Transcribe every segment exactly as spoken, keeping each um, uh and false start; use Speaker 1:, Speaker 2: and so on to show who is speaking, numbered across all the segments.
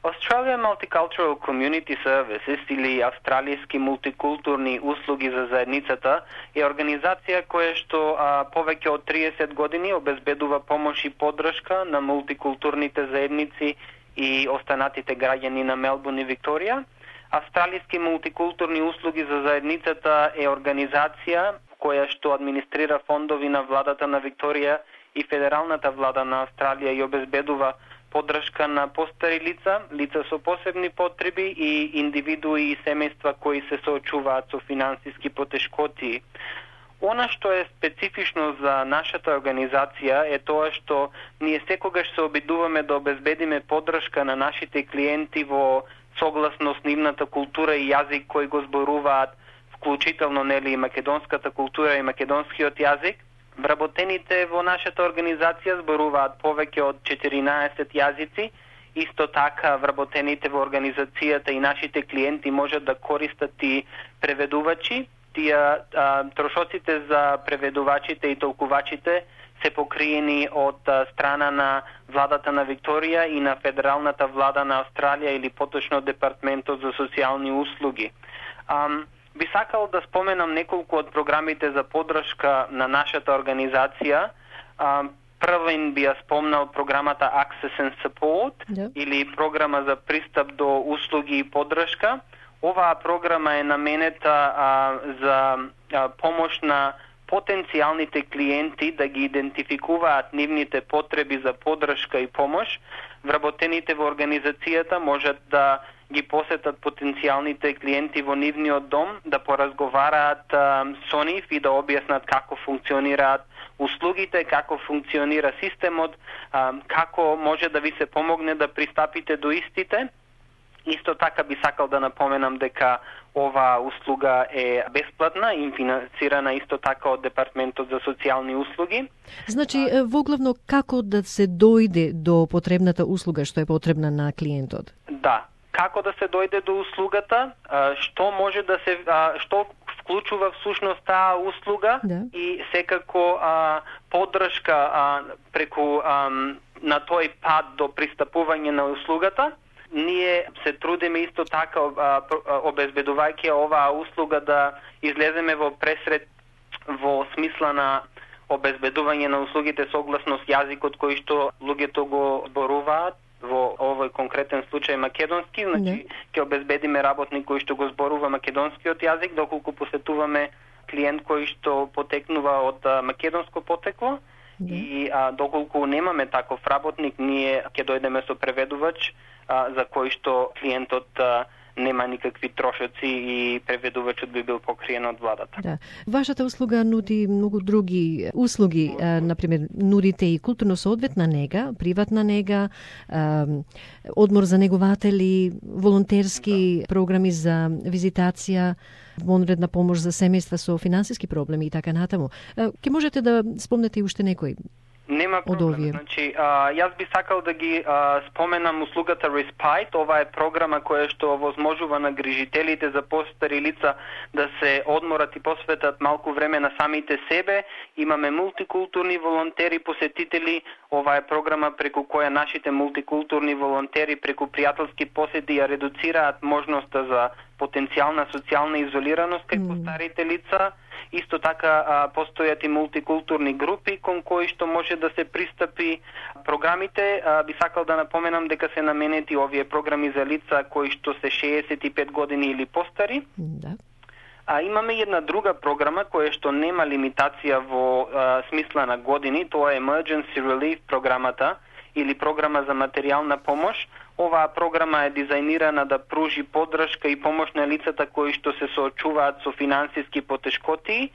Speaker 1: Australian Multicultural Community Services или Австралијски мултикултурни услуги за заедницата е организација која што а, повеќе од триесет години обезбедува помош и поддршка на мултикултурните заедници и останатите граѓани на Мелбурн и Викторија. Австралијски мултикултурни услуги за заедницата е организација која што администрира фондови на владата на Викторија и федералната влада на Австралија и обезбедува поддршка на постари лица, лица со посебни потреби и индивидуи и семејства кои се соочуваат со финансиски потешкоти. Она што е специфично за нашата организација е тоа што ние секогаш се обидуваме да обезбедиме поддршка на нашите клиенти во согласно с нивната култура и јазик кој го зборуваат, вклучително нели и македонската култура и македонскиот јазик. Вработените во нашата организација зборуваат повеќе од четиринаесет јазици. Исто така вработените во организацијата и нашите клиенти можат да користат и преведувачи. Тие трошоците за преведувачите и толкувачите се покриени од а, страна на владата на Викторија и на федералната влада на Австралија или поточно Департментот за социјални услуги. Ам, Би сакал да споменам неколку од програмите за поддршка на нашата организација. Првен би ја спомнал програмата Access and Support, yeah. или програма за пристап до услуги и поддршка. Оваа програма е наменета а, за а, помош на потенцијалните клиенти да ги идентификуваат нивните потреби за поддршка и помош. Вработените во организацијата можат да ги посетат потенцијалните клиенти во нивниот дом, да поразговараат а, со нив и да објаснат како функционираат услугите, како функционира системот, а, како може да ви се помогне да пристапите до истите. Исто така би сакал да напоменам дека оваа услуга е бесплатна и финансирана исто така од Департментот за социјални услуги.
Speaker 2: Значи, воглавно како да се дојде до потребната услуга што е потребна на клиентот?
Speaker 1: Да, како да се дојде до услугата, што може да се што вклучува всушност таа услуга, да. И секако а, поддршка а, преку а, на тој пат до пристапување на услугата. Ние се трудиме исто така обезбедувајќи оваа услуга да излеземе во пресред во смисла на обезбедување на услугите согласно с јазикот кој што луѓето го зборуваат, во овој конкретен случај македонски, значи ќе обезбедиме работник кој што го зборува македонскиот јазик, доколку посетуваме клиент кој што потекнува од македонско потекло. Да. И а, доколку немаме таков работник, ние ќе дојдеме со преведувач а, за кој што клиентот а, нема никакви трошоци и преведувачот би бил покриен од владата.
Speaker 2: Да. Вашата услуга нуди многу други услуги, а, например, нудите и културно-соодветна нега, приватна нега, а, одмор за негователи, волонтерски да. Програми за визитација, вонредна помош за семејства со финансиски проблеми и така натаму. Ке можете да спомнете и уште некој?
Speaker 1: Нема проблем. Значи, а, јас би сакал да ги а, споменам услугата Respite. Ова е програма која што возможува на грижителите за постари лица да се одморат и посветат малку време на самите себе. Имаме мултикултурни волонтери, посетители. Ова е програма преку која нашите мултикултурни волонтери преку пријателски посети ја редуцираат можноста за потенцијална социјална изолираност кај mm. постарите лица. Исто така а, постојат и мултикултурни групи кон кои што може да се пристапи. Програмите, а, би сакал да напоменам дека се наменети овие програми за лица кои што се шеесет и пет години или постари.
Speaker 2: Да.
Speaker 1: А имаме една друга програма која што нема лимитација во а, смисла на години, тоа е Emergency Relief програмата или програма за материјална помош. Оваа програма е дизајнирана да пружи поддршка и помош на лицата кои што се соочуваат со финансиски потешкоти.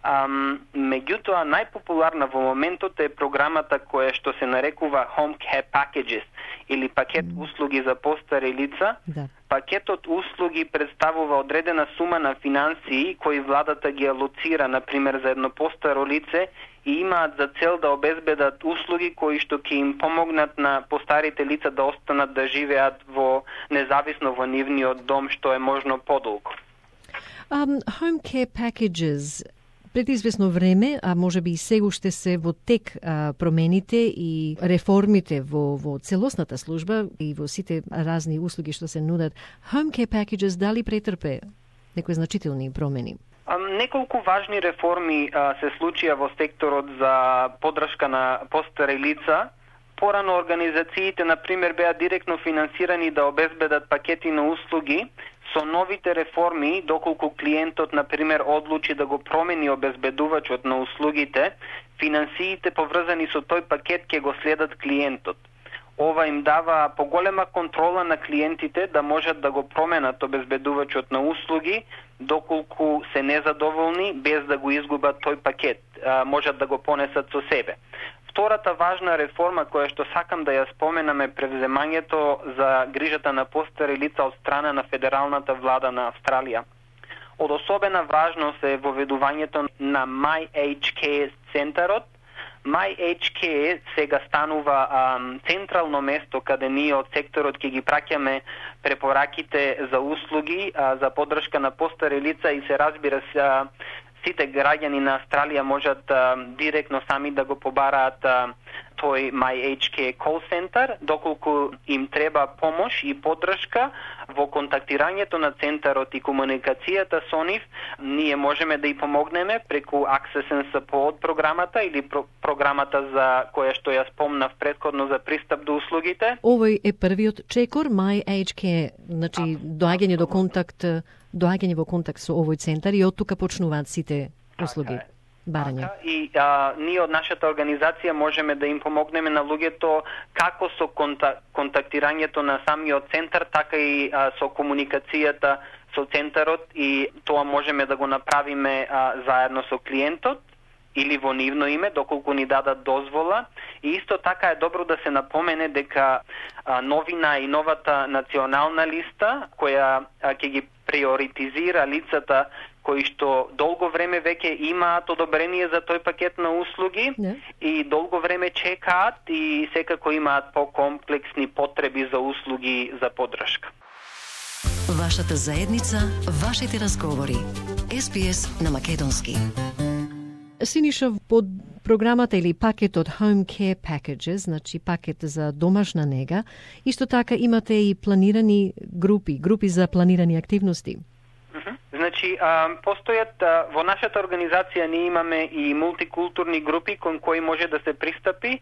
Speaker 1: Um, меѓутоа, најпопуларна во моментот е програмата која што се нарекува Home Care Packages или пакет mm. услуги за постари лица.
Speaker 2: Да.
Speaker 1: Пакетот услуги представува одредена сума на финансии кои владата ги алоцира, например, за едно постаро лице и имаат за цел да обезбедат услуги кои што ќе им помогнат на постарите лица да останат да живеат во независно во нивниот дом што е можно подолго.
Speaker 2: Um, home care packages, Пред известно време, а може би и сега уште се во тек а, промените и реформите во, во целосната служба и во сите разни услуги што се нудат. Home care packages дали претрпе некои значителни промени?
Speaker 1: Неколку важни реформи а, се случија во секторот за поддршка на постари лица. Порано организациите, например, беа директно финансирани да обезбедат пакети на услуги. Со новите реформи, доколку клиентот, например, одлучи да го промени обезбедувачот на услугите, финансиите поврзани со тој пакет ќе го следат клиентот. Ова им дава поголема контрола на клиентите да можат да го променат обезбедувачот на услуги, доколку се незадоволни, без да го изгубат тој пакет, а, можат да го понесат со себе. Втората важна реформа која што сакам да ја споменам е превземањето за грижата на постари лица од страна на федералната влада на Австралија. Од особена важност е воведувањето на My Age Care центарот. My Age Care сега станува а, централно место каде ние од секторот ќе ги праќаме препораките за услуги, а, за поддршка на постари лица и се разбира се сите граѓани на Австралија можат а, директно сами да го побараат а, тој My Age Care Call Center, доколку им треба помош и поддршка во контактирањето на центарот и комуникацијата со нив, ние можеме да и помогнеме преку Access and Support програмата или про програмата за која што ја спомнав претходно за пристап до услугите.
Speaker 2: Овој е првиот чекор My Age Care, значи доаѓање до контакт, доаѓање во контакт со овој центар и од тука почнуваат сите услуги. Барања.
Speaker 1: И а, ние од нашата организација можеме да им помогнеме на луѓето како со конта, контактирањето на самиот центар, така и а, со комуникацијата со центарот, и тоа можеме да го направиме а, заедно со клиентот или во нивно име, доколку ни дадат дозвола. И исто така е добро да се напомене дека а, новина и новата национална листа, која а, ќе ги приоритизира лицата кои што долго време веќе имаат одобрение за тој пакет на услуги, yeah. и долго време чекаат и секако имаат покомплексни потреби за услуги за поддршка.
Speaker 3: Вашата заедница, вашите разговори. Ес Би Ес на македонски.
Speaker 2: Синиша, под програмата или пакетот Home Care Packages, значи пакет за домашна нега, исто така имате и планирани групи, групи за планирани активности.
Speaker 1: Значи, а, постојат а, во нашата организација ние имаме и мултикултурни групи кон кои може да се пристапи.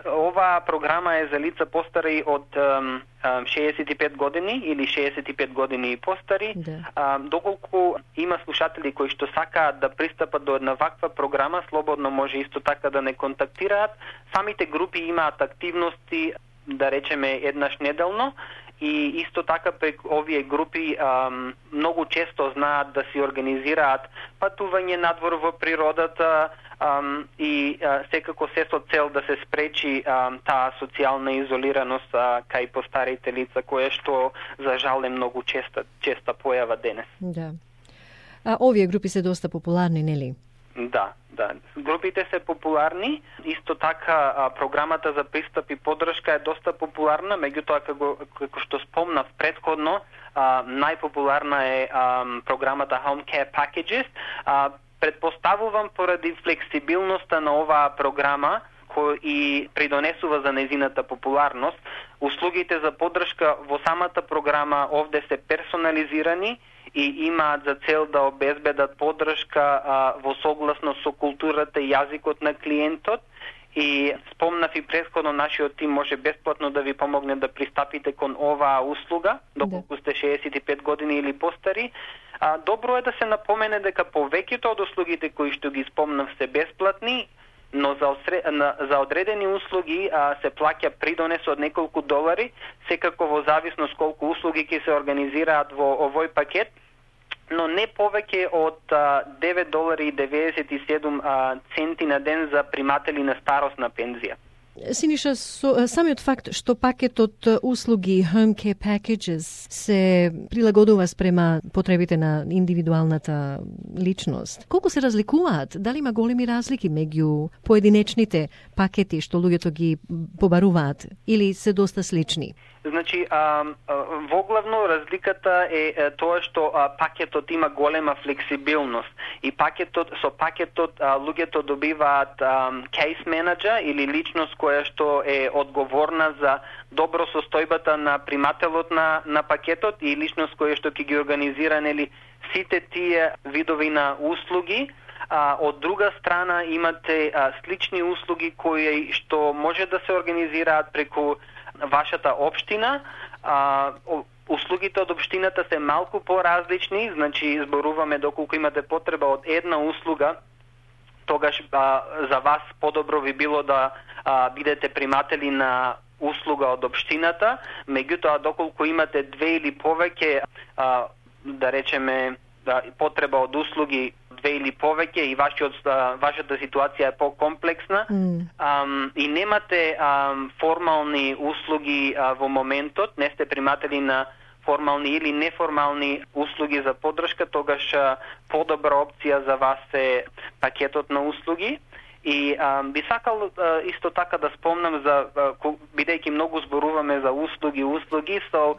Speaker 1: Оваа програма е за лица постари од а, шеесет и пет години или шеесет и пет години и постари.
Speaker 2: Да.
Speaker 1: А, доколку има слушатели кои што сакаат да пристапат до една ваква програма, слободно може исто така да не контактираат. Самите групи имаат активности, да речеме, еднаш неделно. И исто така прек овие групи а, многу често знаат да си организираат патување надвор во природата а, и а, секако се со цел да се спречи а, таа социјална изолираност а, кај постарите лица, која што за жал е многу честа, честа појава денес.
Speaker 2: Да. А овие групи се доста популарни, нели?
Speaker 1: Да, да. Групите се популарни. Исто така а, програмата за пристап и поддршка е доста популарна, меѓутоа како, како што спомнав претходно, а, најпопуларна е а, програмата Home Care Packages. А, предпоставувам поради флексибилноста на оваа програма кој и придонесува за незината популарност. Услугите за поддршка во самата програма овде се персонализирани и имаат за цел да обезбедат поддршка а, во согласност со културата и јазикот на клиентот. И спомнав и претходно, нашиот тим може бесплатно да ви помогне да пристапите кон оваа услуга, доколку сте шеесет и пет години или постари. А, добро е да се напомене дека повеќето од услугите кои што ги спомнав се бесплатни, но за, осре... за одредени услуги а, се плаќа придонес од неколку долари, секако во зависност колку услуги ќе се организираат во овој пакет, но не повеќе од а, девет долари и деветдесет и седум а, центи на ден за приматели на старосна пензија.
Speaker 2: Синиша, со, самиот факт што пакетот услуги Home Care Packages се прилагодува спрема потребите на индивидуалната личност, колку се разликуваат? Дали има големи разлики меѓу поединечните пакети што луѓето ги побаруваат или се доста слични?
Speaker 1: Значи, а, во главно разликата е, е тоа што а, пакетот има голема флексибилност и пакетот со пакетот а, луѓето добиваат кейс менеджер или личност која што е одговорна за добро состојбата на примателот на на пакетот и личност која што ќе ги организира нели сите тие видови на услуги. А, од друга страна имате а, слични услуги кои што може да се организираат преку вашата општина. А, услугите од општината се малку поразлични, значи зборуваме доколку имате потреба од една услуга, тогаш а, за вас подобро би било да а, бидете приматели на услуга од општината, меѓутоа доколку имате две или повеќе, а, да речеме, да, потреба од услуги две или повеќе и вашиот, вашата ситуација е по-комплексна mm. um, и немате um, формални услуги uh, во моментот, не сте приматели на формални или неформални услуги за поддршка, тогаш uh, подобра опција за вас е пакетот на услуги. И а, би сакал а, исто така да спомнам за, а, бидејќи многу зборуваме за услуги, услуги, со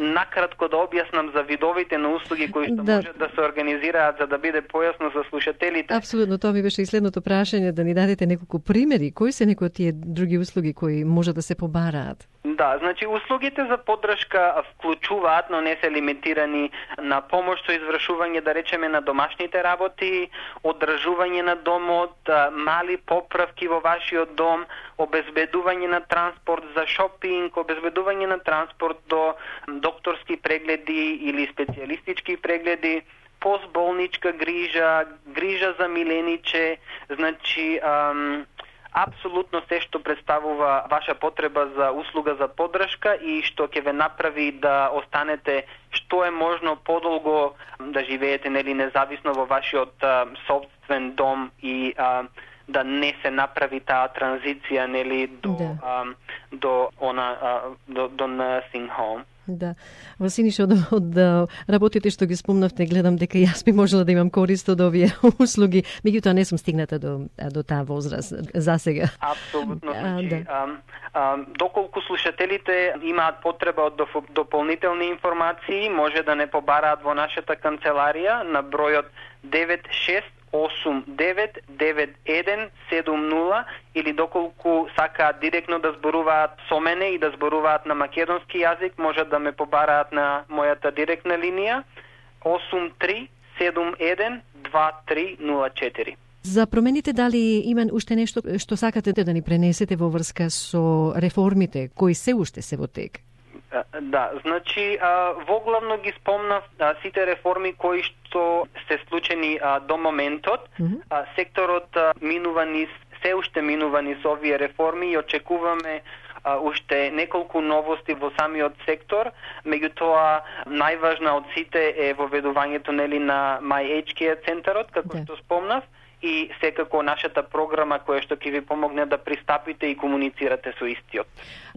Speaker 1: накратко да објаснам за видовите на услуги кои што да. Може да се организираат за да биде појасно за слушателите.
Speaker 2: Апсолутно, тоа ми беше и следното прашање, да ни дадете неколку примери. Кои се некои од тие други услуги кои може да се побараат?
Speaker 1: Да, значи услугите за поддршка вклучуваат, но не се лимитирани на помош со извршување, да речеме, на домашните работи, одржување на домот, мали поправки во вашиот дом, обезбедување на транспорт за шопинг, обезбедување на транспорт до докторски прегледи или специјалистички прегледи, постболничка грижа, грижа за милениче, значи ам, апсолутно се што представува ваша потреба за услуга за поддршка и што ќе ве направи да останете што е можно подолго да живеете нели независно во вашиот а, собствен дом и а, да не се направи таа транзиција нели до да. а, до она а, до до nursing home.
Speaker 2: Да. Во Синиша, од, од работите што ги спомнавте, гледам дека јас би можела да имам корист од овие услуги, меѓутоа не сум стигната до до таа возраст за сега.
Speaker 1: Апсолутно. Значи, да. а, а, доколку слушателите имаат потреба од дополнителни информации, може да не побараат во нашата канцеларија на бројот девет шест осум девет девет еден седум нула или доколку сакаат директно да зборуваат со мене и да зборуваат на македонски јазик, може да ме побараат на мојата директна линија осум три седум еден два три нула четири.
Speaker 2: За промените, дали има уште нешто што сакате да ни пренесете во врска со реформите кои се уште се во тек?
Speaker 1: Да, значи во главно ги спомнав сите реформи кои што се случени до моментот. Mm-hmm. Секторот минува низ, се уште минува низ овие реформи и очекуваме уште неколку новости во самиот сектор, меѓутоа најважна од сите е воведувањето нели на My Aged Care центарот, како yeah. што спомнав, и секако нашата програма која што ќе ви помогне да пристапите и комуницирате со истиот.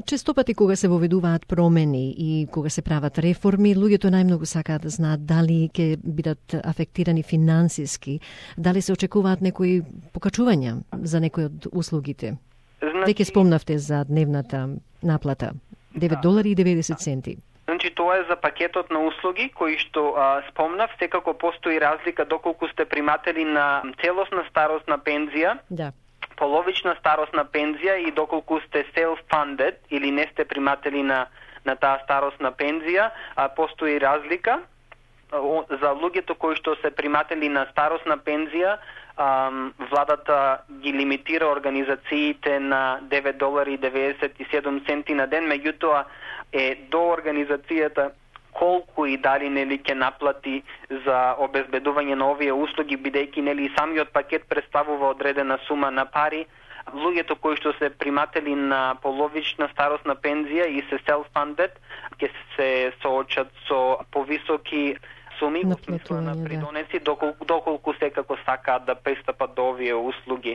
Speaker 2: Често пати кога се воведуваат промени и кога се прават реформи, луѓето најмногу сакаат да знаат дали ќе бидат афектирани финансиски, дали се очекуваат некои покачувања за некои од услугите. Значи... Веќе спомнавте за дневната наплата, девет долари и деветдесет центи.
Speaker 1: Значи тоа е за пакетот на услуги кои што а, спомнав, секако постои разлика доколку сте приматели на целосна старосна пензија,
Speaker 2: да.
Speaker 1: половична старосна пензија и доколку сте self-funded или не сте приматели на на таа старосна пензија, а постои разлика. За луѓето кои што се приматели на старосна пензија, Um, владата ги лимитира организациите на девет долари и деветдесет и седум центи на ден, меѓутоа е до организацијата колку и дали нели ќе наплати за обезбедување на овие услуги, бидејќи нели самиот пакет представува одредена сума на пари. Луѓето кои што се приматели на половична старосна пензија и се self-funded ќе се соочат со повисоки суми во смисла на придонеси, доколку, доколку секако сакаат да пристапат до овие услуги.